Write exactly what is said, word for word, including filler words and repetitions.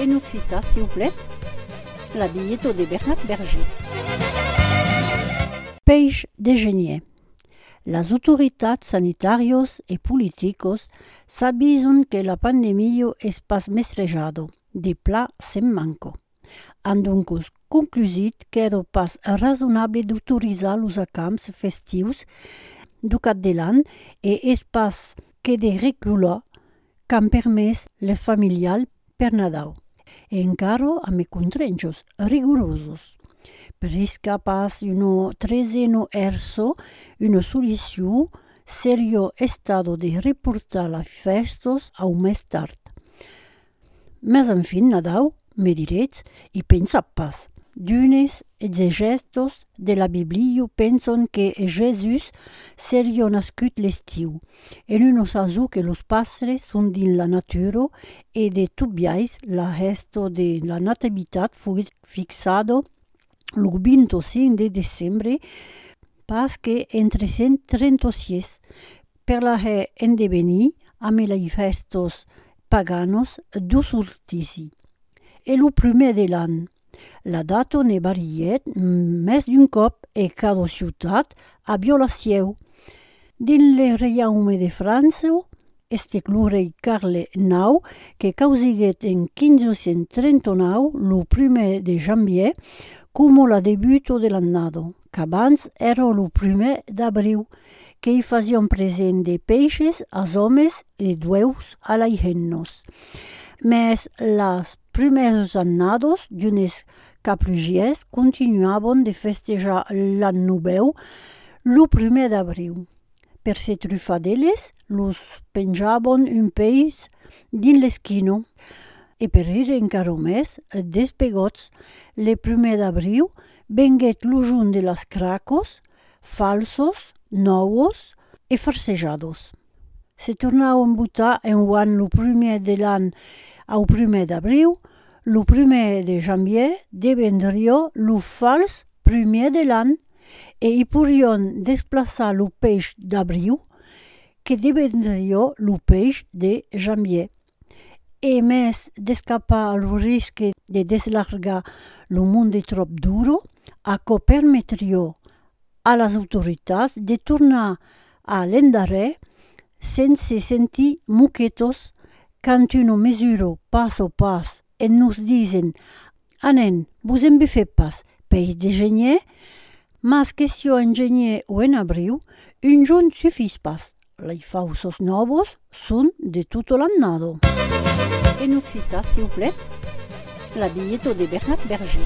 En occitan, siuplèt, la bilheta de Bernat Berger. Peish de genièr. Las autoritats sanitàrias e politicas s'avisan que la pandemia es pas mestrejada, de plan se'n manca. An doncas conclusit qu'èra pas rasonable d'autorizar los acamps festius dau cap de l'an e es pas que de recular qu'an permés le familial per Nadau, e encara amb contrainchas rigorosas. Per escapar una tresena èrsa, una solucion seriá estada de reportar las fèstas au mes tard. Mas enfin, Nadau, me diretz, i pensatz pas. D'unes exegèstas de la Bíblia pensan que Jèsus seriá nascut l'estiu. En una sason que los pastres son dins la natura e de tot biais la hèsta de la Nativitat foguèt fixada lo vint-e-cinc de decembre, pas que en tres cents trenta-sièis, per la hèr endevenir amb las fèstas paganas dau solstici. E lo prumèr de l'an, la data ne varièt mès d'un còp e cada ciutat aviá la sieu. Dins le Reiaume de França, estèc lo rei Carle nau que causiguèt en quinze cents trenta-nau lo prumèr de janvièr coma la debuta de l'annada, qu'abans èra lo prumèr d'abriu, que i fasián present de peishes als òmes e d'uèus a las hemnas. Mès las prumèras annadas d'unes caplugièrs continuavan de festejar l'an novèu lo prumèr d'abriu. Per se trufar d'eles, los penjavan un peis dins l'esquina. E per rire encara mès, despegòts, le prumèr d'abriu venguèt lo jorn de las cracas, falsas, nòvas e farcejadas. Se tornavan votar enguan lo prumèr de l'an au prumèr d'abriu, lo prumèr de janvièr devendriá lo fals prumèr de l'an e i poirián desplaçar lo peish d'abriu, que devendriá lo peish de janvièr. E mès d'escapar lo risque de deslargar lo monde tròp d'ora, aquò permetriá a las autoritats de tornar a l'endarrèr sens se sentir moquetas quand una mesura passa pas e nos disen: «Anem, vos embufetz pas, peish de genièr, mas que siá en genièr o en abriu, un jorn sufís pas. Las faussas nòvas son de tota l'annada.» En occitan, siuplèt, la bilheta de Bernat Berger.